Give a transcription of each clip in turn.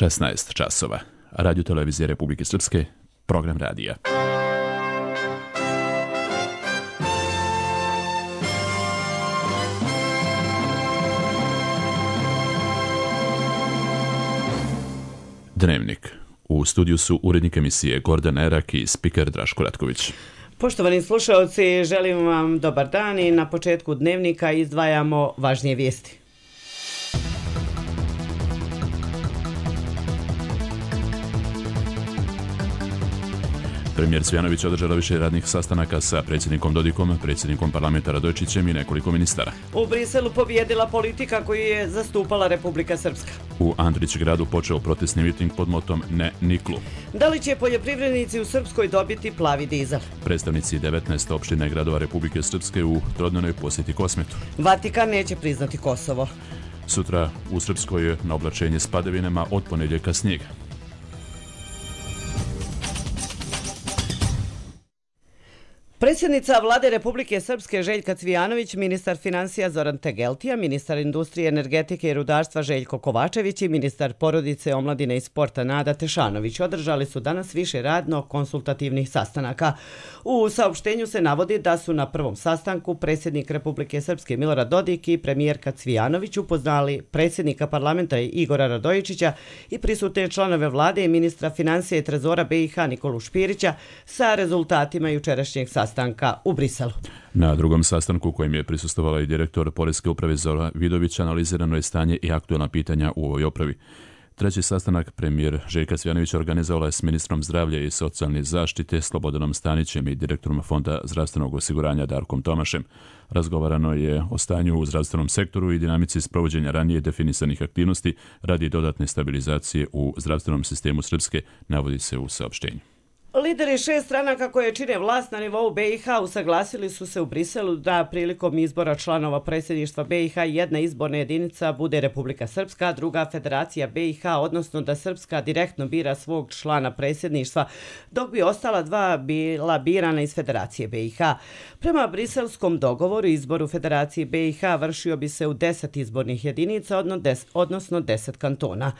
16 časova. Radio televizije Republike Srpske, program radija. Dnevnik. U studiju su urednik emisije Gordan Erak i spiker Draško Ratković. Poštovani slušalci, želim vam dobar dan i na početku dnevnika izdvajamo važnije vijesti. Premijer Cvijanović održala više radnih sastanaka sa predsjednikom Dodikom, predsjednikom parlamenta Radojičićem i nekoliko ministara. U Briselu pobijedila politika koju je zastupala Republika Srpska. U Andrićgradu počeo protestni miting pod motom Ne niklu. Da li će poljoprivrednici u Srpskoj dobiti plavi dizel? Predstavnici 19 opština i gradova Republike Srpske u trodnevnoj posjeti Kosmetu. Vatikan neće priznati Kosovo. Sutra u Srpskoj je na oblačenje s padavinama, od ponedjeljka snijega. Predsjednica Vlade Republike Srpske Željka Cvijanović, ministar financija Zoran Tegeltija, ministar industrije, energetike i rudarstva Željko Kovačević i ministar porodice, omladine i sporta Nada Tešanović održali su danas više radno-konsultativnih sastanaka. U saopštenju se navodi da su na prvom sastanku predsjednik Republike Srpske Milorad Dodik i premijerka Cvijanović upoznali predsjednika parlamenta Igora Radojičića i prisutne članove vlade i ministra financija i trezora BiH Nikolu Špirića sa rezultatima jučerašnjeg sastanka u Briselu. Na drugom sastanku kojem je prisustvovala i direktor Poreske uprave Zora Vidović analizirano je stanje i aktualna pitanja u ovoj upravi. Treći sastanak premijer Željka Cvijanovića organizovala je s ministrom zdravlja i socijalne zaštite Slobodanom Stanićem i direktorom Fonda zdravstvenog osiguranja Darkom Tomašem. Razgovarano je o stanju u zdravstvenom sektoru i dinamici sprovođenja ranije definisanih aktivnosti radi dodatne stabilizacije u zdravstvenom sistemu Srpske, navodi se u saopštenju. Lideri 6 stranaka koje čine vlast na nivou BiH usaglasili su se u Briselu da prilikom izbora članova predsjedništva BiH jedna izborna jedinica bude Republika Srpska, druga Federacija BiH, odnosno da Srpska direktno bira svog člana predsjedništva, dok bi ostala dva bila birana iz Federacije BiH. Prema briselskom dogovoru izboru Federacije BiH vršio bi se u 10 izbornih jedinica, odnosno 10 kantona.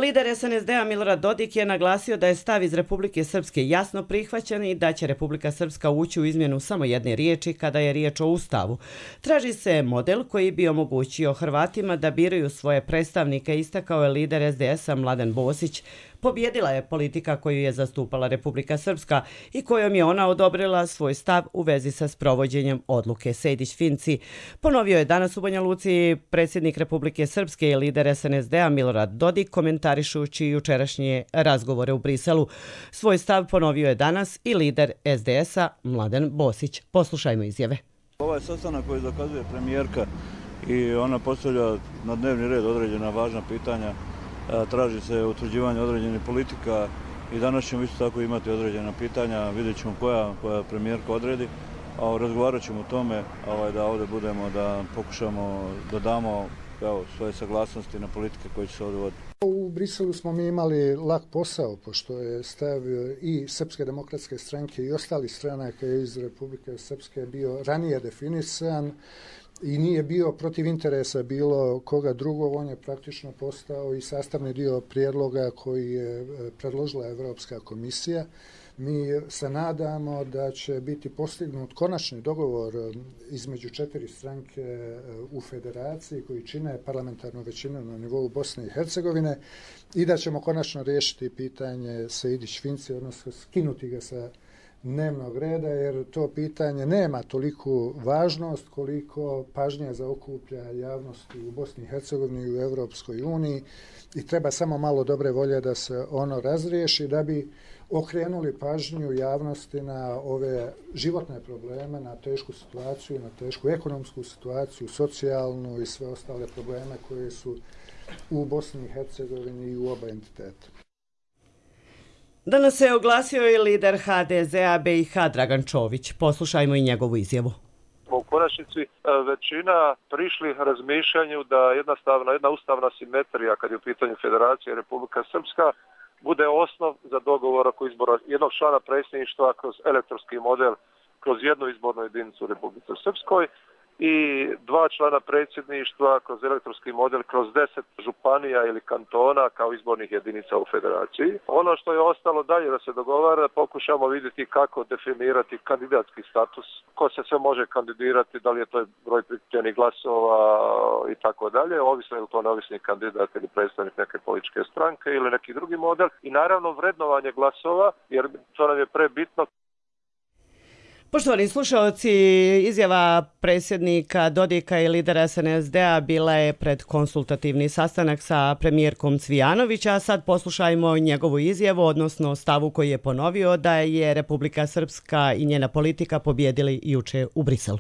Lider SNSD-a Milorad Dodik je naglasio da je stav iz Republike Srpske jasno prihvaćen i da će Republika Srpska ući u izmjenu samo jedne riječi kada je riječ o Ustavu. Traži se model koji bi omogućio Hrvatima da biraju svoje predstavnike, istakao je lider SDS-a Mladen Bosić. Pobjedila je politika koju je zastupala Republika Srpska i kojom je ona odobrila svoj stav u vezi sa sprovođenjem odluke Sejdić-Finci. Ponovio je danas u Banja Luci predsjednik Republike Srpske i lider SNSD-a Milorad Dodik komentarišući jučerašnje razgovore u Briselu. Svoj stav ponovio je danas i lider SDS-a Mladen Bosić. Poslušajmo izjave. Ovaj sastanak koji zakazuje premijerka i ona postavlja na dnevni red određena važna pitanja, traži se utvrđivanje određenih politika i danas ćemo isto tako imati određena pitanja, vidjet ćemo koja premijerka odredi, a razgovarat ćemo o tome da ovdje budemo, da pokušamo da damo svoje saglasnosti na politike koje će se ovdje voditi. U Briselu smo mi imali lak posao, pošto je stav i Srpske demokratske stranke i ostalih stranaka iz Republike Srpske bio ranije definisan i nije bio protiv interesa bilo koga drugog, on je praktično postao i sastavni dio prijedloga koji je predložila Evropska komisija. Mi se nadamo da će biti postignut konačni dogovor između 4 stranke u federaciji koji čine parlamentarnu većinu na nivou Bosne i Hercegovine i da ćemo konačno riješiti pitanje Sejdić-Finci, odnosno skinuti ga sa dnevnog reda, jer to pitanje nema toliku važnost koliko pažnje zaokuplja javnosti u Bosni i Hercegovini i u Europskoj uniji i treba samo malo dobre volje da se ono razriješi da bi okrenuli pažnju javnosti na ove životne probleme, na tešku situaciju, na tešku ekonomsku situaciju, socijalnu i sve ostale probleme koje su u Bosni i Hercegovini i u oba entiteta. Danas se oglasio i lider HDZ-a BiH Dragan Čović. Poslušajmo i njegovu izjavu. U konačnici većina prišli razmišljanju da jedna ustavna simetrija kad je u pitanju Federacije Republika Srpska bude osnov za dogovor oko izbora jednog člana predsjedništva kroz elektronski model, kroz jednu izbornu jedinicu u Republici Srpskoj i 2 člana predsjedništva kroz elektronski model, kroz 10 županija ili kantona kao izbornih jedinica u federaciji. Ono što je ostalo dalje da se dogovara, pokušamo vidjeti kako definirati kandidatski status, ko se sve može kandidirati, da li je to broj prikupljenih glasova i tako dalje, ovisno je li to neovisni kandidat ili predstavnik neke političke stranke ili neki drugi model i naravno vrednovanje glasova, jer to nam je prebitno. Poštovani slušalci, izjava predsjednika Dodika i lidera SNSD-a bila je pred konsultativni sastanak sa premijerkom Cvijanović, a sad poslušajmo njegovu izjavu, odnosno stavu koji je ponovio da je Republika Srpska i njena politika pobjedili juče u Briselu.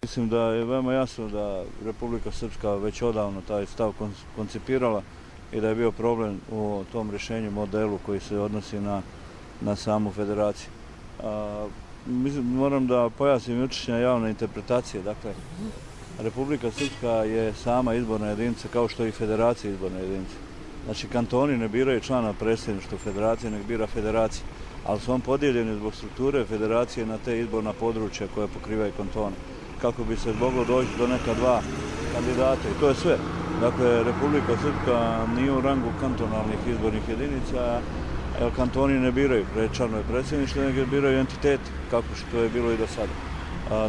Mislim da je veoma jasno da Republika Srpska već odavno taj stav koncipirala i da je bio problem u tom rješenju modelu koji se odnosi na samu federaciju. Moram da pojasnim jučerašnja javna interpretacija. Dakle, Republika Srpska je sama izborna jedinica kao što je i federacija izborna jedinica. Znači, kantoni ne biraju člana predsjedništva federacije, nek bira federacija. Ali su on podijeljeni zbog strukture federacije na te izborna područja koja pokrivaju kantone. Kako bi se moglo doći do neka 2 kandidata i to je sve. Dakle, Republika Srpska nije u rangu kantonalnih izbornih jedinica, jer kantoni ne biraju članove predsjedništva, nego biraju entitet, kako što je bilo i do sada.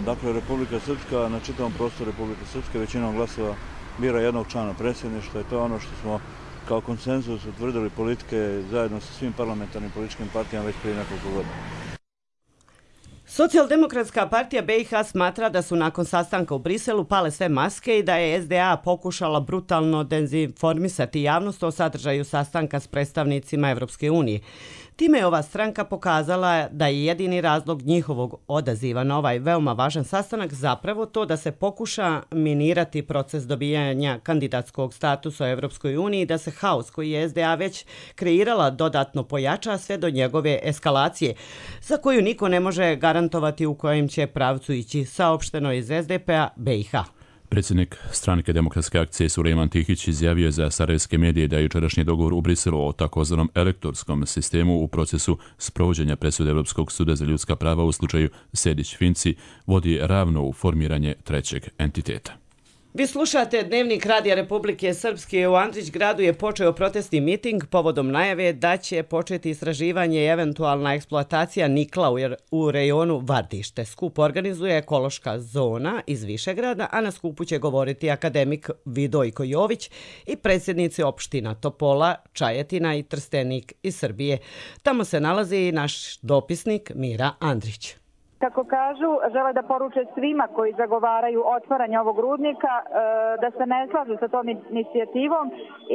Dakle, Republika Srpska, na čitavom prostoru Republike Srpske većinom glasova bira jednog člana predsjedništva i to je ono što smo kao konsenzus utvrdili politike zajedno sa svim parlamentarnim političkim partijama već prije nekoliko godina. Socijaldemokratska partija BiH smatra da su nakon sastanka u Briselu pale sve maske i da je SDA pokušala brutalno dezinformisati javnost o sadržaju sastanka s predstavnicima Evropske unije. Time je ova stranka pokazala da je jedini razlog njihovog odaziva na ovaj veoma važan sastanak zapravo to da se pokuša minirati proces dobijanja kandidatskog statusa u Evropskoj uniji i da se haos koji je SDA već kreirala dodatno pojača sve do njegove eskalacije, za koju niko ne može garantovati u kojem će pravcu ići, saopšteno iz SDP-a BiH. Predsjednik Stranke demokratske akcije Sulejman Tihić izjavio za sarajevske medije da je jučerašnji dogovor u Briselu o takozvanom elektorskom sistemu u procesu sprovođenja presude Europskog suda za ljudska prava u slučaju Sejdić-Finci vodi ravno u formiranje trećeg entiteta. Vi slušate Dnevnik Radija Republike Srpske. U Andrićgradu je počeo protestni miting povodom najave da će početi istraživanje i eventualna eksploatacija nikla u rejonu Vardište. Skup organizuje ekološka zona iz Višegrada, a na skupu će govoriti akademik Vidojko Jović i predsjednici opština Topola, Čajetina i Trstenik iz Srbije. Tamo se nalazi i naš dopisnik Mira Andrić. Kako kažu, žele da poruče svima koji zagovaraju otvaranje ovog rudnika da se ne slažu sa tom inicijativom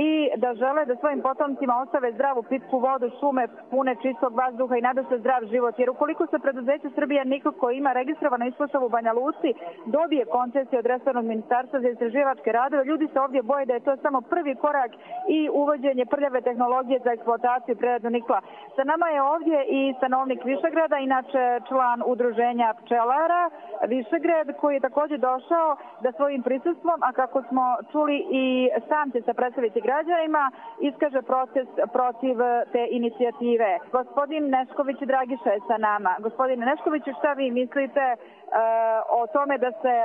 i da žele da svojim potomcima ostave zdravu pitku vodu, šume pune čistog vazduha i nada se zdrav život. Jer ukoliko se preduzeće Srbija Nikl koji ima registrovano ispostavu u Banja Luci dobije koncesiju od resornog ministarstva za istraživačke radove, ljudi se ovdje boje da je to samo prvi korak i uvođenje prljave tehnologije za eksploataciju i preradu nikla. Sa nama je ovdje i stanovnik Višegrada, inače član udruženja pčelara Višegrad, koji je također došao da svojim prisustvom, a kako smo čuli i sam će se predstaviti građanima, iskaže protest protiv te inicijative. Gospodin Nešković Dragiša je sa nama. Gospodine Neškoviću, šta vi mislite o tome da se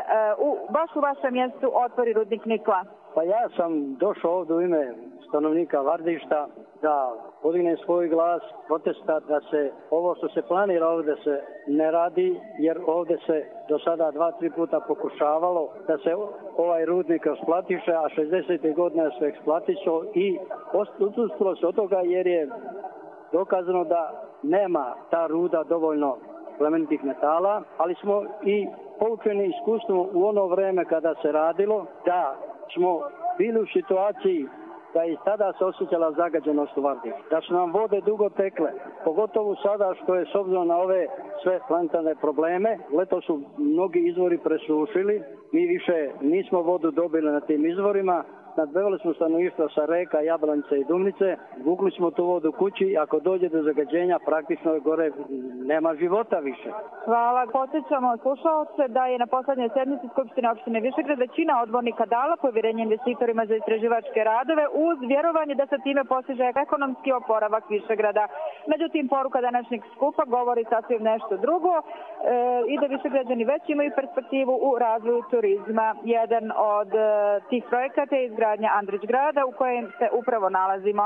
baš u vašem mjestu otvori rudnik nikla? Pa ja sam došao ovdje u ime stanovnika Vardišta da podignem svoj glas protesta da se ovo što se planira ovdje se ne radi, jer ovdje se do sada 2-3 puta pokušavalo da se ovaj rudnik eksploatiše, a 60. godina se eksploatišao i odustalo se od toga jer je dokazano da nema ta ruda dovoljno plemenitih metala, ali smo i poučeni iskustvom u ono vreme kada se radilo da smo bili u situaciji da i tada se osjećala zagađenost u Vardištu, da su nam vode dugo tekle, pogotovo sada što je s obzirom na ove sve planetarne probleme, leto su mnogi izvori presušili, mi više nismo vodu dobili na tim izvorima, nadbevali smo stanovništvo sa reka, Jablanice i Dumnice, vukli smo tu vodu kući i ako dođe do zagađenja praktično gore nema života više. Hvala. Podsjećamo slušalce da je na poslednjoj sednici Skupštine opštine Višegrad većina odbornika dala povjerenje investitorima za istraživačke radove uz vjerovanje da se time postiže ekonomski oporavak Višegrada. Međutim, poruka današnjeg skupa govori sasvim nešto drugo i da Višegrađani već imaju perspektivu u razvoju turizma. Jedan od tih projekata je izgradnja Andrić grada u kojem se upravo nalazimo.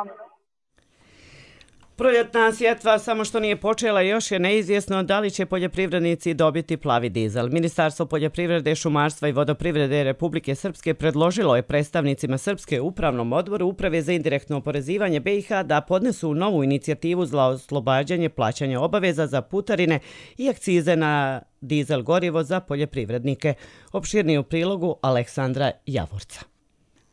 Proljetna sjetva samo što nije počela, još je neizvjesno da li će poljoprivrednici dobiti plavi dizel. Ministarstvo poljoprivrede, šumarstva i vodoprivrede Republike Srpske predložilo je predstavnicima Srpske upravnom odboru Uprave za indirektno oporezivanje BiH da podnesu novu inicijativu za oslobađanje plaćanja obaveza za putarine i akcize na dizel gorivo za poljoprivrednike. Opširnije u prilogu Aleksandra Javorca.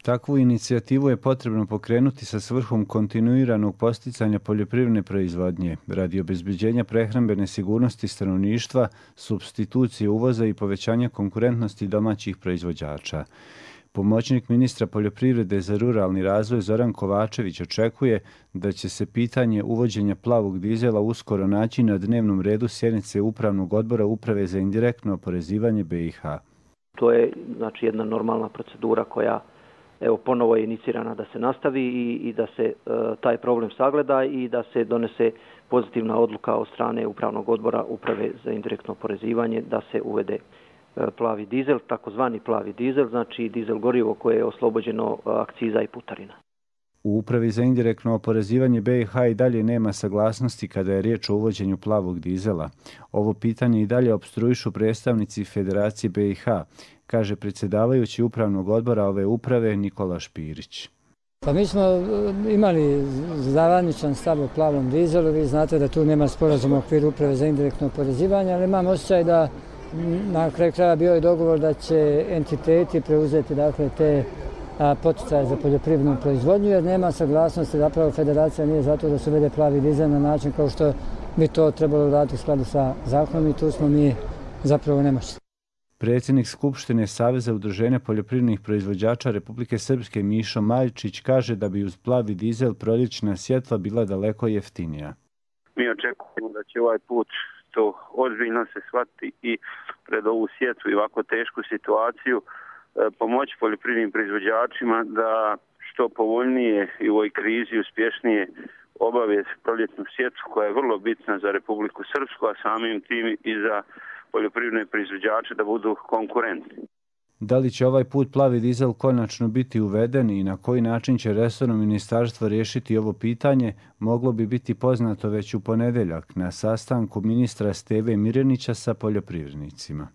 Takvu inicijativu je potrebno pokrenuti sa svrhom kontinuiranog posticanja poljoprivredne proizvodnje radi obezbeđenja prehrambene sigurnosti stanovništva, supstitucije uvoza i povećanja konkurentnosti domaćih proizvođača. Pomoćnik ministra poljoprivrede za ruralni razvoj Zoran Kovačević očekuje da će se pitanje uvođenja plavog dizela uskoro naći na dnevnom redu sjednice Upravnog odbora Uprave za indirektno oporezivanje BiH. To je znači jedna normalna procedura koja ponovo je inicirana da se nastavi i da se taj problem sagleda i da se donese pozitivna odluka od strane Upravnog odbora Uprave za indirektno oporezivanje da se uvede plavi dizel, takozvani plavi dizel, znači dizel gorivo koje je oslobođeno akciza i putarina. U Upravi za indirektno oporezivanje BiH i dalje nema saglasnosti kada je riječ o uvođenju plavog dizela. Ovo pitanje i dalje opstruišu predstavnici Federacije BiH, kaže predsjedavajući Upravnog odbora ove uprave Nikola Špirić. Pa mi smo imali zavaničan stav o plavom dizelu, vi znate da tu nema sporazuma u okviru Uprave za indirektno oporezivanje, ali imam osjećaj da na kraju kraja bio je dogovor da će entiteti preuzeti te poticaje za poljoprivrednu proizvodnju, jer nema saglasnosti, zapravo Federacija nije zato da se uvede plavi dizel na način kao što bi to trebalo raditi u skladu sa zakonom i tu smo mi zapravo nemoćni. Predsjednik Skupštine Saveza udruženja poljoprivrednih proizvođača Republike Srpske Mišo Maljčić kaže da bi uz plavi dizel proljećna sjetva bila daleko jeftinija. Mi očekujemo da će ovaj put to ozbiljno se shvatiti i pred ovu sjetvu i ovako tešku situaciju pomoći poljoprivrednim proizvođačima da što povoljnije i u ovoj krizi uspješnije obave proljetnu sjetvu koja je vrlo bitna za Republiku Srpsku, a samim tim i za poljoprivredne proizvođače da budu konkurentni. Da li će ovaj put plavi dizel konačno biti uveden i na koji način će resorno ministarstvo riješiti ovo pitanje, moglo bi biti poznato već u ponedjeljak na sastanku ministra Steve Mirjanića sa poljoprivrednicima.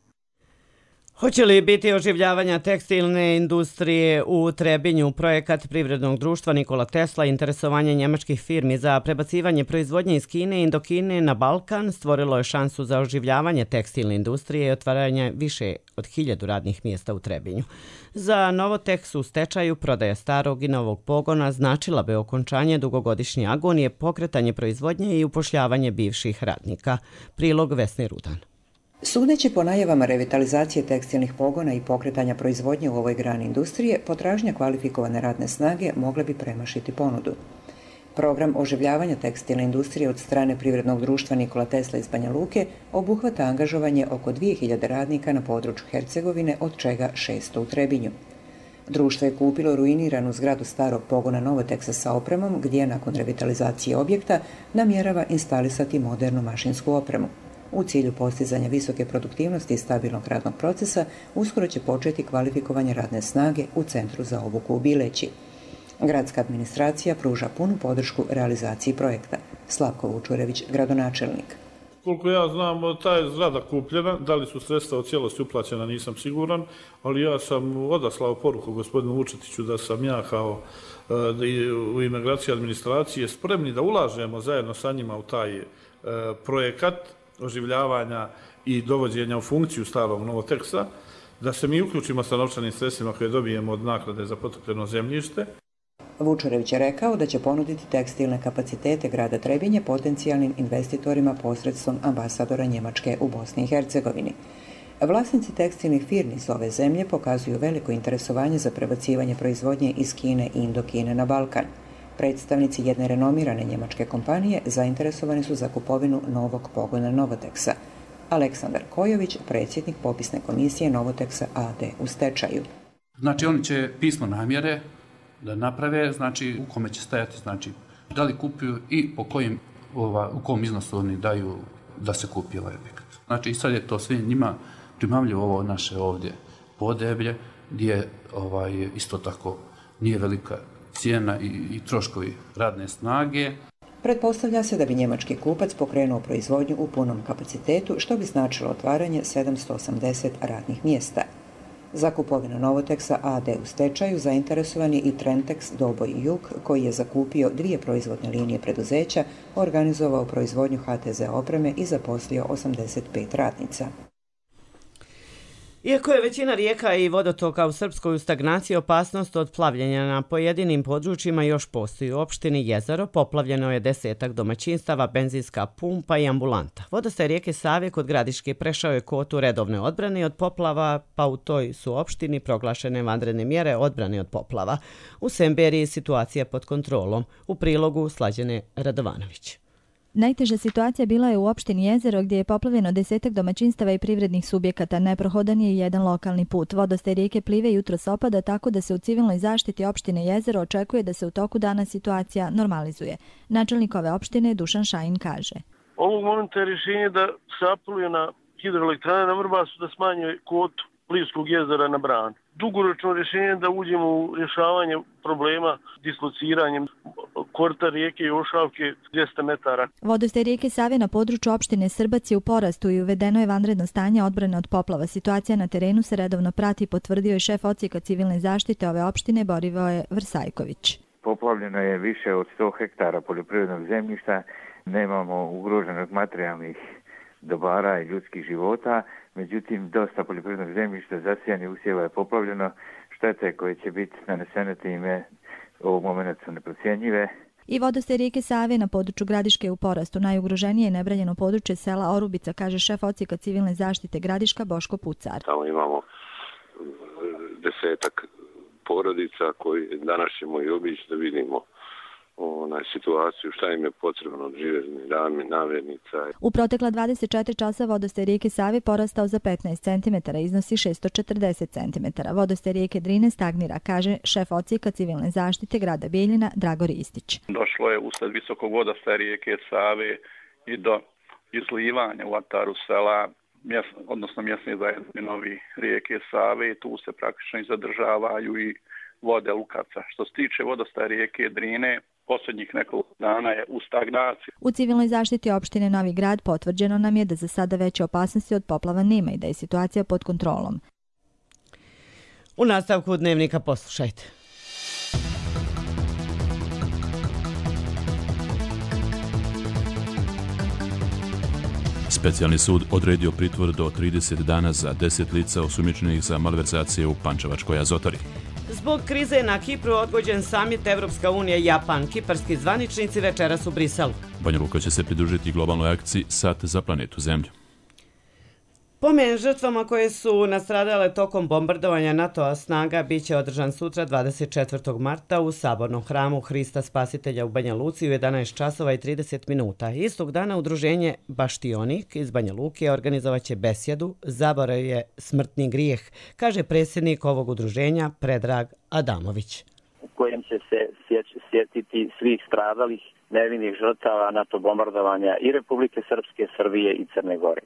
Hoće li biti oživljavanja tekstilne industrije u Trebinju? Projekat privrednog društva Nikola Tesla, interesovanje njemačkih firmi za prebacivanje proizvodnje iz Kine i Indokine na Balkan stvorilo je šansu za oživljavanje tekstilne industrije i otvaranje više od 1000 radnih mjesta u Trebinju. Za Novoteks u stečaju prodaja starog i novog pogona značila bi okončanje dugogodišnje agonije, pokretanje proizvodnje i upošljavanje bivših radnika. Prilog Vesne Rudan. Sudeći po najavama revitalizacije tekstilnih pogona i pokretanja proizvodnje u ovoj grani industrije, potražnja kvalifikovane radne snage mogla bi premašiti ponudu. Program oživljavanja tekstilne industrije od strane privrednog društva Nikola Tesla iz Banja Luke obuhvata angažovanje oko 2000 radnika na području Hercegovine, od čega 600 u Trebinju. Društvo je kupilo ruiniranu zgradu starog pogona Novoteksa sa opremom, gdje nakon revitalizacije objekta namjerava instalisati modernu mašinsku opremu. U cilju postizanja visoke produktivnosti i stabilnog radnog procesa, uskoro će početi kvalifikovanje radne snage u Centru za obuku u Bileći. Gradska administracija pruža punu podršku realizaciji projekta. Slavko Vučurević, gradonačelnik. Koliko ja znam, ta je zgrada kupljena, da li su sredstva u cijelosti uplaćena nisam siguran, ali ja sam odaslao poruku gospodinu Vučetiću da sam ja kao u ime gradske administracije spremni da ulažemo zajedno sa njima u taj projekat oživljavanja i dovođenja u funkciju starog Novoteksa, da se mi uključimo sa novčanim sredstvima koje dobijemo od naknade za potopljeno zemljište. Vučurević je rekao da će ponuditi tekstilne kapacitete grada Trebinje potencijalnim investitorima posredstvom ambasadora Njemačke u Bosni i Hercegovini. Vlasnici tekstilnih firmi iz ove zemlje pokazuju veliko interesovanje za prebacivanje proizvodnje iz Kine i Indokine na Balkan. Predstavnici jedne renomirane njemačke kompanije zainteresovani su za kupovinu novog pogona Novoteksa. Aleksandar Kojović, predsjednik popisne komisije Novoteksa AD u stečaju. Znači oni će pismo namjere da naprave, znači u kome će stajati, znači da li kupuju i po kojim, u kom iznosu oni daju da se kupi ovaj objekat. Znači i sad je to sve njima primamljivo ovo naše ovdje Podeblje, gdje isto tako nije velika cijena i troškovi radne snage. Pretpostavlja se da bi njemački kupac pokrenuo proizvodnju u punom kapacitetu, što bi značilo otvaranje 780 radnih mjesta. Za kupovinu Novoteksa AD u stečaju zainteresovan je i Trentex Doboj i Jug, koji je zakupio 2 proizvodne linije preduzeća, organizovao proizvodnju HTZ opreme i zaposlio 85 radnica. Iako je većina rijeka i vodotoka u Srpskoj u stagnaciji, opasnost od plavljenja na pojedinim područjima još postoji. U opštini Jezero poplavljeno je 10-ak domaćinstava, benzinska pumpa i ambulanta. Vodostaj rijeke Save kod Gradiške prešao je kvotu redovne odbrane od poplava, pa u toj su opštini proglašene vanredne mjere odbrane od poplava. U Semberiji situacija pod kontrolom. U prilogu Slađane Radovanović. Najteža situacija bila je u opštini Jezero, gdje je poplavljeno 10-ak domaćinstava i privrednih subjekata. Neprohodan je jedan lokalni put. Vodostaj rijeke Plive jutros opada, tako da se u civilnoj zaštiti opštine Jezero očekuje da se u toku dana situacija normalizuje. Načelnik ove opštine Dušan Šajin kaže: Ovog momenta je rješenje da se apeluje na hidroelektrane na Vrbasu da smanje kvotu Plivskog jezera na Bran. Dugoročno rješenje da uđemo u rješavanje problema dislociranjem korita rijeke Jošavke 200 metara. Vodostaj rijeke Save na području opštine Srbac je u porastu i uvedeno je vanredno stanje odbrane od poplava. Situacija na terenu se redovno prati, potvrdio je šef odsjeka civilne zaštite ove opštine Borivoje Vrsajković. Poplavljeno je više od 100 hektara poljoprivrednog zemljišta, nemamo ugroženog materijalnih dobara i ljudskih života, međutim dosta poljoprivrednog zemljišta zasijanih usjeva je poplavljeno, štete koje će biti nanesene time ovog momenta su neprocjenjive. I vodostaj rijeke Save na području Gradiške je u porastu. Najugroženije je nebranjeno područje sela Orubica, kaže šef odsjeka civilne zaštite Gradiška Boško Pucar. Tamo imamo 10-ak porodica koji danas ćemo i obići da vidimo situaciju, šta im je potrebno od živežnih namirnica. U protekla 24 časa vodostaj rijeke Save porastao za 15 cm, iznosi 640 cm. Vodostaj rijeke Drine stagnira, kaže šef odsjeka civilne zaštite grada Bijeljina Drago Ristić. Došlo je usled visokog vodostaja rijeke Save i do izlivanja u ataru sela, odnosno mjesne zajednice Novi rijeke Save. Tu se praktično i zadržavaju i vode Lukaca. Što se tiče vodostaja rijeke Drine, posljednjih nekoliko dana je u stagnaciji. U civilnoj zaštiti opštine Novi Grad potvrđeno nam je da za sada veće opasnosti od poplava nema i da je situacija pod kontrolom. U nastavku dnevnika poslušajte. Specijalni sud odredio pritvor do 30 dana za 10 lica osumnjičenih za malverzacije u Pančevačkoj Azotori. Zbog krize na Kipru odgođen samit Evropska unija i Japan. Kiparski zvaničnici večeras u Briselu. Banja Luka će se pridružiti globalnoj akciji Sat za planetu Zemlju. Pomen žrtvama koje su nastradale tokom bombardovanja NATO-a snaga biće održan sutra 24. marta u Sabornom hramu Hrista Spasitelja u Banja Luci u 11 časova i 30 minuta. Istog dana udruženje Baštionik iz Banja Luke organizovaće besjedu Zaborav je smrtni grijeh, kaže predsjednik ovog udruženja Predrag Adamović. U kojem će se sjetiti svih stradalih nevinih žrtava NATO bombardovanja i Republike Srpske, Srbije i Crne Gore.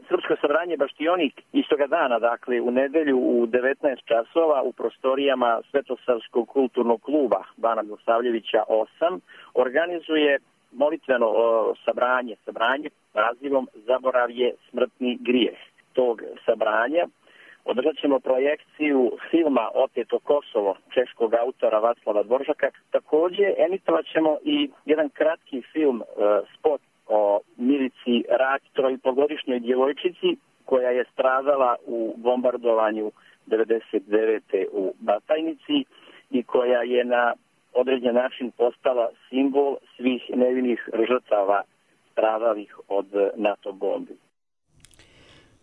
Srpsko sabranje Baštionik istoga dana, dakle u nedelju u 19 časova u prostorijama Svetosavskog kulturnog kluba Bana Milosavljevića 8 organizuje molitveno sabranje nazivom Zaborav je smrtni grijeh. Tog sabranja održat ćemo projekciju filma Oteto Kosovo češkog autora Vaclava Dvoržaka. Također emitovat ćemo i jedan kratki film, spot o Milici Rać, 3,5-godišnjoj djevojčici koja je stradala u bombardovanju 99. u Batajnici i koja je na određen način postala simbol svih nevinih žrtava stradalih od NATO bombi.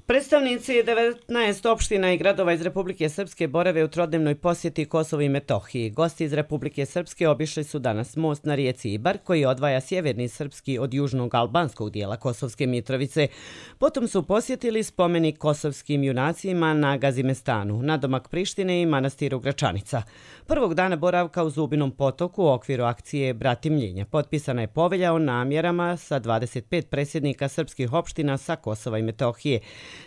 Predstavnici 19 opština i gradova iz Republike Srpske borave u trodnevnoj posjeti Kosovu i Metohiji. Gosti iz Republike Srpske obišli su danas most na rijeci Ibar, koji odvaja sjeverni srpski od južnog albanskog dijela Kosovske Mitrovice. Potom su posjetili spomenik kosovskim junacima na Gazimestanu, nadomak Prištine i manastiru Gračanica. Prvog dana boravka u Zubinom potoku u okviru akcije Bratimljenja potpisana je povelja o namjerama sa 25 predsjednika srpskih opština sa Kosova i Metohije.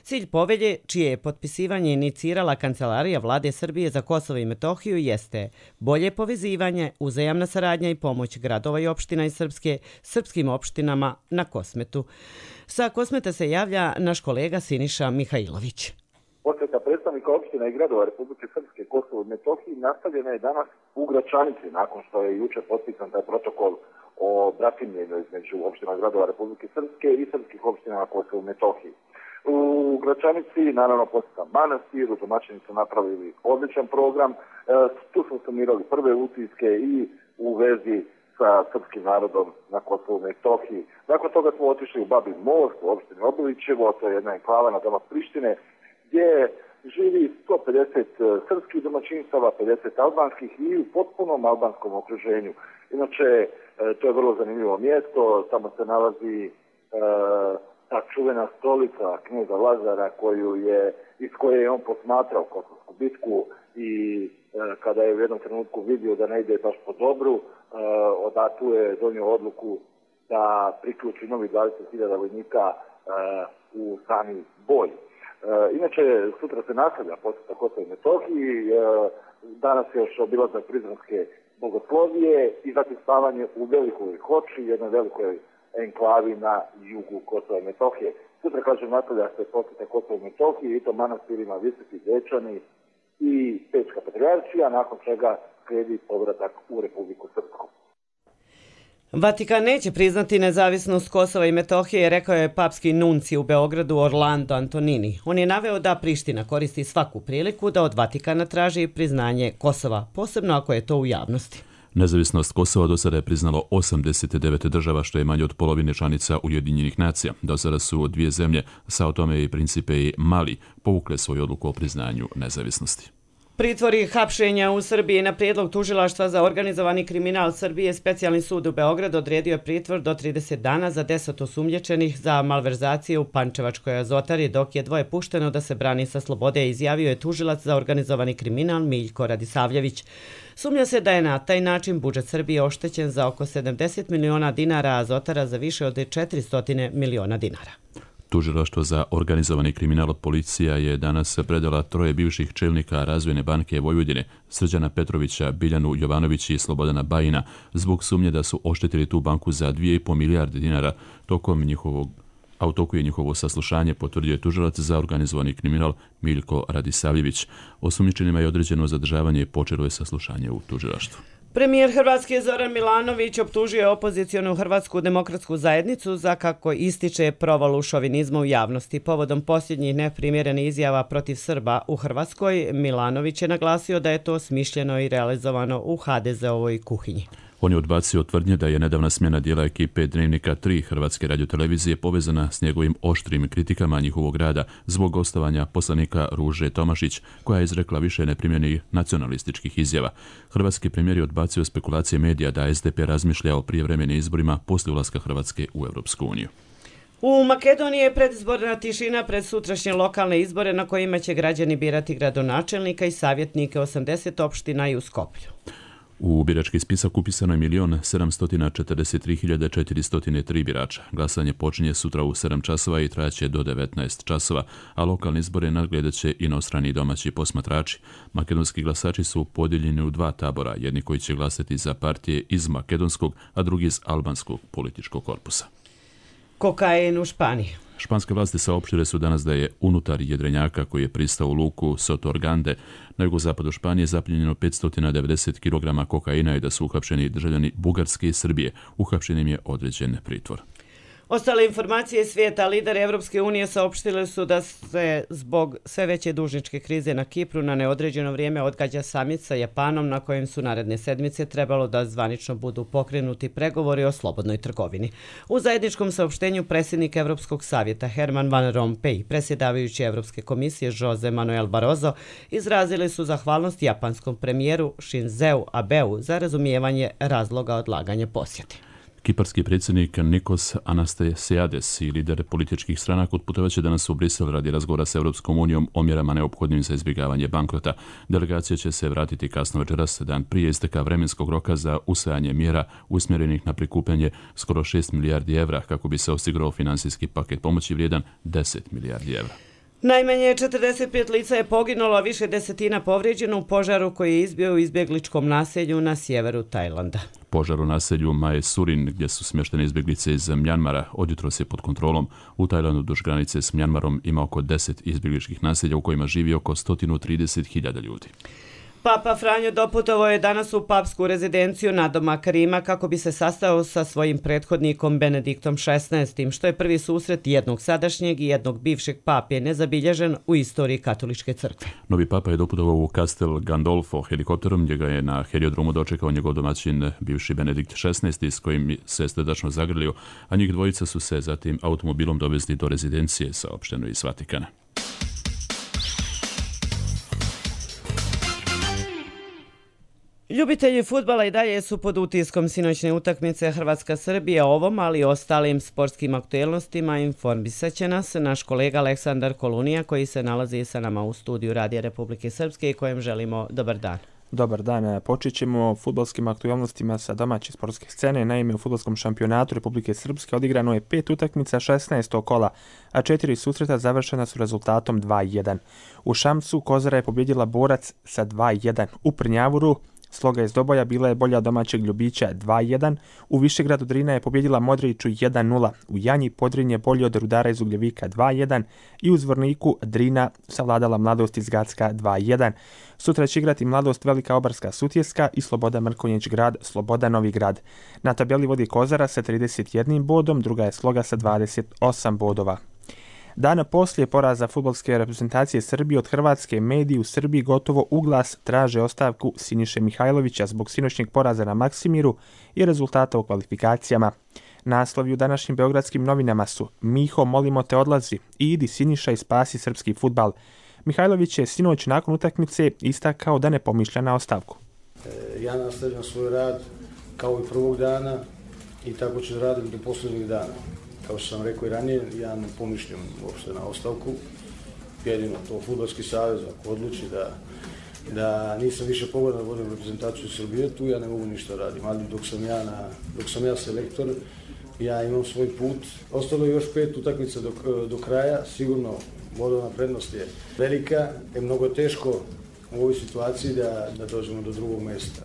Cilj povelje, čije je potpisivanje inicirala Kancelarija Vlade Srbije za Kosovo i Metohiju, jeste bolje povezivanje, uzajamna saradnja i pomoć gradova i opština iz srpskim opštinama na Kosmetu. Sa Kosmeta se javlja naš kolega Siniša Mihajlović. Posjeta predstavnika opština i gradova Republike Srpske, Kosovo i Metohiji nastavljena je danas u Gračanici, nakon što je juče potpisan taj protokol o bratimljenju između opština i gradova Republike Srpske i srpskih opština na Kosovo i Metohiji. U Gračanici, naravno, posjeta manastiru, domaćini su napravili odličan program, tu smo sumirali prve utiske i u vezi sa srpskim narodom na Kosovu i Metohiji. Nakon toga smo otišli u Babin Most, u opštini Obilićevo, to je jedna enklava na domak Prištine, gdje živi 150 srpskih domaćinstava, 50 albanskih i u potpunom albanskom okruženju. Inače, to je vrlo zanimljivo mjesto, tamo se nalazi ta čuvena stolica knjeza Lazara iz koje je on posmatrao Kosovsku bitku i kada je u jednom trenutku vidio da ne ide baš po dobru, tu je donio odluku da priključi novi 20.000 vojnika u sami boj. Inače, sutra se nastavlja posjeta Kosovo i Metohiji, danas je još obilazak Prizrenske bogoslovije i zatim spavanje u Velikoj Hoči, jednoj velikoj enklavi na jugu Kosova i Metohije. Sutra, kažem, nastavlja se posjeta Kosovo i Metohije i to manastirima Visoki Dečani i Pečka Patrijaršija, nakon čega slijedi povratak u Republiku Srpsku. Vatikan neće priznati nezavisnost Kosova i Metohije, rekao je papski nunci u Beogradu Orlando Antonini. On je naveo da Priština koristi svaku priliku da od Vatikana traži priznanje Kosova, posebno ako je to u javnosti. Nezavisnost Kosova do sada je priznalo 89 država, što je manje od polovine članica Ujedinjenih nacija. Do sada su dvije zemlje, Sao Tome i Principe i Mali, povukle svoju odluku o priznanju nezavisnosti. Pritvori hapšenja u Srbiji na prijedlog tužilaštva za organizovani kriminal Srbije, specijalni sud u Beogradu odredio je pritvor do 30 dana za 10 osumnjičenih za malverzacije u Pančevačkoj azotari, dok je 2 pušteno da se brani sa slobode, izjavio je tužilac za organizovani kriminal Miljko Radisavljević. Sumnja se da je na taj način budžet Srbije oštećen za oko 70 miliona dinara, a azotara za više od 400 miliona dinara. Tužilaštvo za organizovani kriminal policija je danas predala 3 bivših čelnika Razvojne banke Vojvodine, Srđana Petrovića, Biljanu Jovanović i Slobodana Bajina, zbog sumnje da su oštetili tu banku za 2,5 milijarde dinara. U toku je njihovo saslušanje, potvrdio je tužilac za organizovani kriminal Miljko Radisavljević. Osumnjičenima je određeno zadržavanje i počelo je saslušanje u tužilaštvu. Premijer Hrvatske Zoran Milanović optužio je opozicionu Hrvatsku demokratsku zajednicu za, kako ističe, provalu šovinizma u javnosti. Povodom posljednjih neprimjerenih izjava protiv Srba u Hrvatskoj, Milanović je naglasio da je to smišljeno i realizovano u HDZ-ovoj kuhinji. On je odbacio tvrdnje da je nedavna smjena dijela ekipe Dnevnika 3 Hrvatske radiotelevizije povezana s njegovim oštrim kritikama njihovog rada zbog gostovanja poslanika Ruže Tomašić, koja je izrekla više neprimjerenih nacionalističkih izjava. Hrvatski premijer je odbacio spekulacije medija da SDP razmišlja o prijevremenim izborima poslije ulaska Hrvatske u Europsku uniju. U Makedoniji je predizborna tišina pred sutrašnje lokalne izbore na kojima će građani birati gradonačelnika i savjetnike 80 opština i u Skoplju. U birački spisak upisano je 1.743.403 birača. Glasanje počinje sutra u 7 časova i trajaće do 19 časova, a lokalne izbore nadgledat će inostrani i domaći posmatrači. Makedonski glasači su podijeljeni u 2 tabora, jedni koji će glasati za partije iz makedonskog, a drugi iz albanskog političkog korpusa. Kokain u Španiji. Španske vlasti saopštile su danas da je unutar jedrenjaka koji je pristao u luku Sotorgande na jugozapadu Španije zapljenjeno 590 kg kokaina i da su uhapšeni državljani Bugarske i Srbije. Uhapšenim je određen pritvor. Ostale informacije svijeta, lideri Evropske unije saopštili su da se zbog sve veće dužničke krize na Kipru na neodređeno vrijeme odgađa samit sa Japanom, na kojem su naredne sedmice trebalo da zvanično budu pokrenuti pregovori o slobodnoj trgovini. U zajedničkom saopštenju predsjednik Evropskog savjeta Herman Van Rompuy i predsjedavajući Evropske komisije Jose Manuel Barroso izrazili su zahvalnost japanskom premijeru Shinzeu Abeu za razumijevanje razloga odlaganja posjete. Kiparski predsjednik Nikos Anastasiades i lider političkih stranaka otputovaće danas u Brisel radi razgovora s Europskom unijom o mjerama neophodnim za izbjegavanje bankrota. Delegacija će se vratiti kasno večeras, dan prije isteka vremenskog roka za usvajanje mjera usmjerenih na prikupljanje skoro 6 milijardi evra kako bi se osigurao financijski paket pomoći vrijedan 10 milijardi evra. Najmanje 45 lica je poginulo, a više desetina povrijeđeno u požaru koji je izbio u izbjegličkom naselju na sjeveru Tajlanda. Požar u naselju Mae Surin, gdje su smještene izbjeglice iz Mjanmara, odjutros je pod kontrolom. U Tajlandu duž granice s Mjanmarom ima oko 10 izbjegličkih naselja u kojima živi oko 130.000 ljudi. Papa Franjo doputovao je danas u papsku rezidenciju nadomak Rima kako bi se sastao sa svojim prethodnikom Benediktom XVI, što je prvi susret jednog sadašnjeg i jednog bivšeg pape nezabilježen u istoriji katoličke crkve. Novi papa je doputovao u Castel Gandolfo helikopterom, gdje ga je na heliodromu dočekao njegov domaćin bivši Benedikt XVI, s kojim se srdačno zagrlio, a njih dvojica su se zatim automobilom dovezli do rezidencije, saopšteno iz Vatikana. Ljubitelji fudbala i dalje su pod utiskom sinoćne utakmice Hrvatska-Srbija. Ovom, ali i ostalim sportskim aktuelnostima informisat će nas naš kolega Aleksandar Kolunija, koji se nalazi sa nama u studiju Radija Republike Srpske i kojem želimo dobar dan. Dobar dan. Počet ćemo fudbalskim aktualnostima sa domaće sportske scene. Naime, u fudbalskom šampionatu Republike Srpske odigrano je 5 utakmica 16. kola, a 4 susreta završena su rezultatom 2-1. U Šamcu Kozara je pobjedila Borac sa 2-1. U Prnjavuru Sloga iz Doboja bila je bolja domaćeg Ljubića 2-1, u Višegradu Drina je pobjedila Modriću 1-0, u Janji Podrin je bolji od Rudara iz Ugljevika 2-1 i u Zvorniku Drina savladala Mladost iz Gacka 2-1. Sutra će igrati Mladost Velika Obarska Sutjeska i Sloboda Mrkonjić Grad Sloboda Novi Grad. Na tabeli vodi Kozara sa 31 bodom, druga je Sloga sa 28 bodova. Dana poslije poraza fudbalske reprezentacije Srbije od Hrvatske, mediji u Srbiji gotovo uglas traže ostavku Siniše Mihajlovića zbog sinoćnjeg poraza na Maksimiru i rezultata u kvalifikacijama. Naslovi u današnjim beogradskim novinama su: Miho, molimo te odlazi i idi Siniša i spasi srpski fudbal. Mihajlović je sinoć nakon utakmice istakao da ne pomišlja na ostavku. Ja nastavljam svoj rad kao i prvog dana i tako ću raditi do posljednjeg dana. Kao što sam rekao i ranije, ja ne pomišljam uopšte na ostavku. Jedino to fudbalski savez ako odluči da nisam više pogodan da vodim reprezentaciju Srbije, tu ja ne mogu ništa radim. Ali dok sam ja selektor, ja imam svoj put. Ostalo je još 5 utakmica do kraja. Sigurno bodovna prednost je velika. Je mnogo teško u ovoj situaciji da dođemo do drugog mjesta.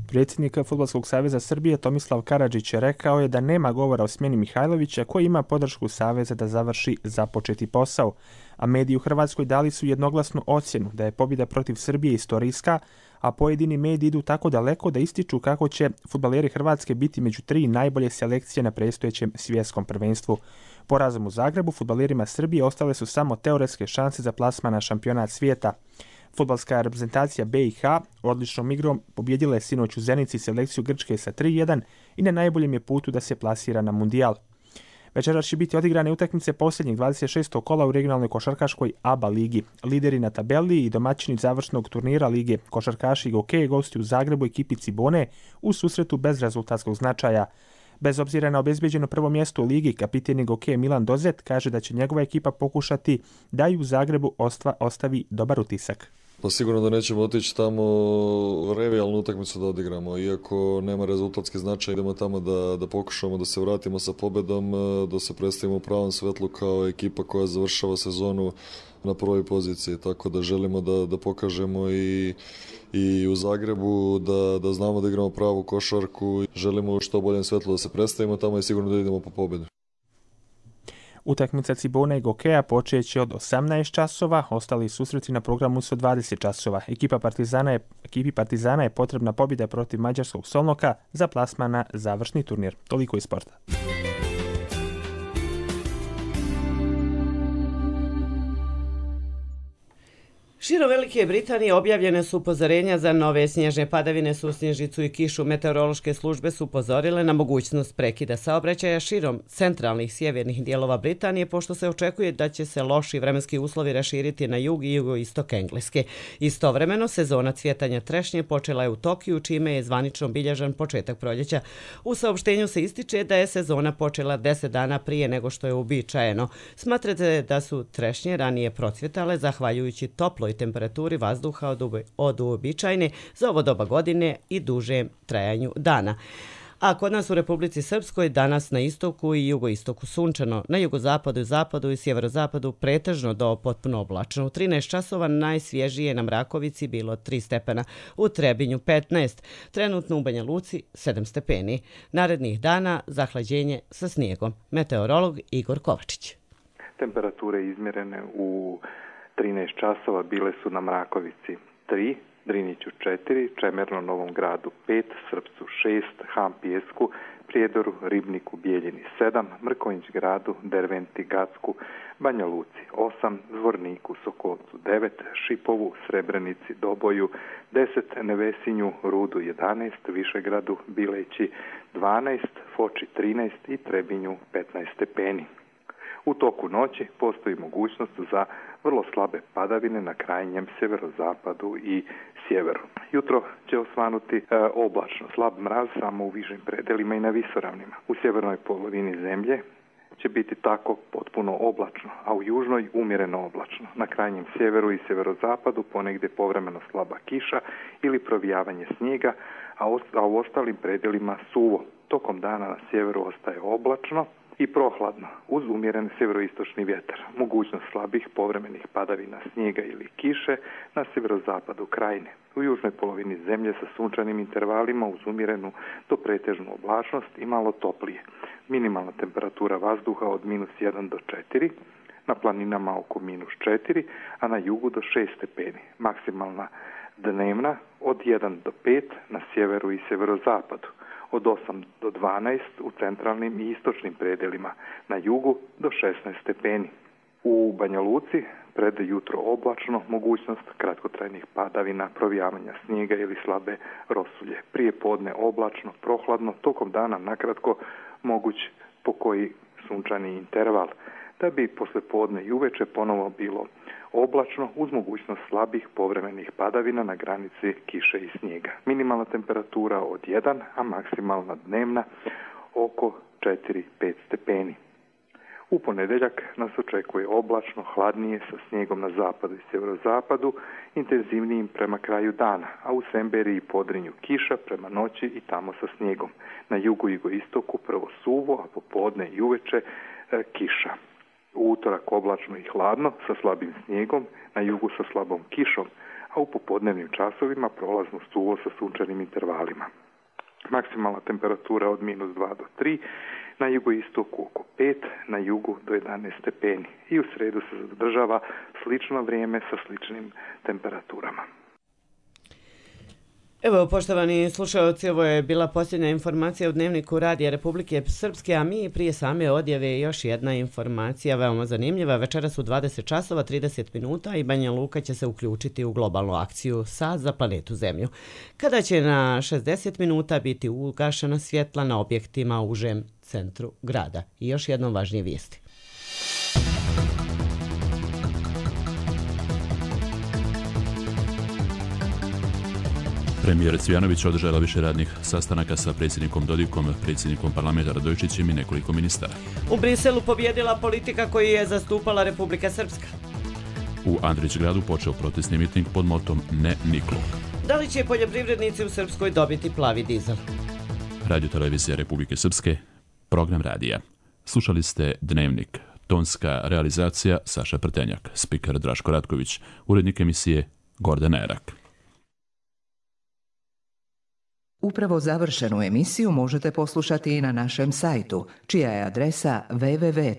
Predsjednik Fudbalskog saveza Srbije Tomislav Karadžić rekao je da nema govora o smjeni Mihajlovića, koji ima podršku saveza da završi započeti posao, a mediji u Hrvatskoj dali su jednoglasnu ocjenu da je pobjeda protiv Srbije istorijska, a pojedini mediji idu tako daleko da ističu kako će fudbaleri Hrvatske biti među 3 najbolje selekcije na predstojećem svjetskom prvenstvu. Porazom u Zagrebu fudbalerima Srbije ostale su samo teoretske šanse za plasman na šampionat svijeta. Fudbalska reprezentacija BiH odličnom igrom pobjedila je sinoć u Zenici selekciju Grčke sa 3-1 i na najboljem je putu da se plasira na mundijal. Večeras će biti odigrane utakmice posljednjeg 26. kola u regionalnoj košarkaškoj ABA ligi. Lideri na tabeli i domaćini završnog turnira lige košarkaši Gokeje gosti u Zagrebu ekipi Cibone u susretu bez rezultatskog značaja. Bez obzira na obezbeđeno prvo mjesto u ligi, kapiten Gokeje Milan Dozet kaže da će njegova ekipa pokušati da i u Zagrebu ostavi dobar utisak. Pa sigurno da nećemo otići tamo revijalnu utakmicu da odigramo, iako nema rezultatski značaj, idemo tamo da pokušamo da se vratimo sa pobedom, da se predstavimo u pravom svetlu kao ekipa koja završava sezonu na prvoj poziciji, tako da želimo da pokažemo i u Zagrebu da znamo da igramo pravu košarku, želimo u što boljem svetlu da se predstavimo tamo i sigurno da idemo po pobedu. Utakmica Cibona i Gokeja počeće od 18 časova, ostali susreti na programu su 20 časova. Ekipi Partizana je potrebna pobjeda protiv mađarskog Solnoka za plasman na završni turnir. Toliko iz sporta. Širom Velike Britanije objavljene su upozorenja za nove snježne padavine, susnježicu i kišu. Meteorološke službe su upozorile na mogućnost prekida saobraćaja širom centralnih sjevernih dijelova Britanije, pošto se očekuje da će se loši vremenski uslovi raširiti na jug i jugoistok Engleske. Istovremeno, sezona cvjetanja trešnje počela je u Tokiju, čime je zvanično bilježan početak proljeća. U saopštenju se ističe da je sezona počela 10 dana prije nego što je uobičajeno. Smatrate da su trešnje ranije procvjetale zahvaljujući toploj temperaturi vazduha od uobičajene za ovo doba godine i duže trajanju dana. a kod nas u Republici Srpskoj danas na istoku i jugoistoku sunčano, na jugozapadu, zapadu i sjeverozapadu pretežno do potpuno oblačno. U 13 časova najsvježije na Mrakovici bilo 3 stepena, u Trebinju 15, trenutno u Banja Luci 7 stepeni. Narednih dana zahlađenje sa snijegom. Meteorolog Igor Kovačić. Temperature izmjerene u 13 časova bile su na Mrakovici 3, Driniću 4, Čemerno Novom Gradu 5, Srpcu 6, Ham Pijesku, Prijedoru, Ribniku, Bijeljini 7, Mrkonjić Gradu, Derventi, Gacku, Banja Luci 8, Zvorniku, Sokolcu 9, Šipovu, Srebrenici, Doboju 10, Nevesinju, Rudu 11, Višegradu, Bileći 12, Foči 13 i Trebinju 15 stepeni. U toku noći postoji mogućnost za vrlo slabe padavine na krajnjem sjeverozapadu i sjeveru. Jutro će osvanuti oblačno, slab mraz samo u višim predelima i na visoravnima. U sjevernoj polovini zemlje će biti tako potpuno oblačno, a u južnoj umjereno oblačno. Na krajnjem sjeveru i sjeverozapadu ponegdje povremeno slaba kiša ili provijavanje snijega, a u ostalim predelima suvo. Tokom dana na sjeveru ostaje oblačno i prohladno, uz umjeren sjeveroistočni vjetar. Mogućnost slabih povremenih padavina snijega ili kiše na sjeverozapadu krajine. U južnoj polovini zemlje sa sunčanim intervalima uz umjerenu do pretežnu oblačnost i malo toplije. Minimalna temperatura vazduha od -1 do 4, na planinama oko -4, a na jugu do 6 stepeni. Maksimalna dnevna od 1 do 5 na sjeveru i sjeverozapadu. Od 8 do 12 u centralnim i istočnim predelima, na jugu do 16 stepeni. U Banja Luci pred jutro oblačno, mogućnost kratkotrajnih padavina, provijavanja snijega ili slabe rosulje. Prije podne oblačno, prohladno, tokom dana nakratko moguć pokoji sunčani interval, da bi posle podne i uveče ponovo bilo oblačno uz mogućnost slabih povremenih padavina na granici kiše i snijega. Minimalna temperatura od 1, a maksimalna dnevna oko 4-5 stepeni. U ponedjeljak nas očekuje oblačno, hladnije sa snijegom na zapadu i sjeverozapadu, intenzivnijim prema kraju dana, a u Semberiji i Podrinju kiša prema noći i tamo sa snijegom. Na jugu i jugoistoku prvo suvo, a popodne i uveče kiša. U utorak oblačno i hladno sa slabim snijegom, na jugu sa slabom kišom, a u popodnevnim časovima prolazno suvo sa sunčanim intervalima. Maksimalna temperatura od -2 do 3, na jugoistoku oko 5, na jugu do 11 stepeni. I u sredu se zadržava slično vrijeme sa sličnim temperaturama. Evo, poštovani slušalci, ovo je bila posljednja informacija u Dnevniku Radija Republike Srpske, a mi prije same odjave još jedna informacija veoma zanimljiva. Večeras u 20 časova 30 minuta i Banja Luka će se uključiti u globalnu akciju Sat za planetu Zemlju, kada će na 60 minuta biti ugašena svjetla na objektima u užem centru grada. I još jednom važnije vijesti. Premijer Cvijanović održala više radnih sastanaka sa predsjednikom Dodikom, predsjednikom parlamenta Radojičićem i nekoliko ministara. U Briselu pobjedila politika koju je zastupala Republika Srpska. U Andrićgradu počeo protestni miting pod motom Ne niklu. Da li će poljoprivrednici u Srpskoj dobiti plavi dizel? Radio televizija Republike Srpske, program radija. Slušali ste Dnevnik. Tonska realizacija Saša Prtenjak, spiker Draško Ratković, urednik emisije Gordana Erak. Upravo završenu emisiju možete poslušati i na našem sajtu, čija je adresa www.rtrs.tv.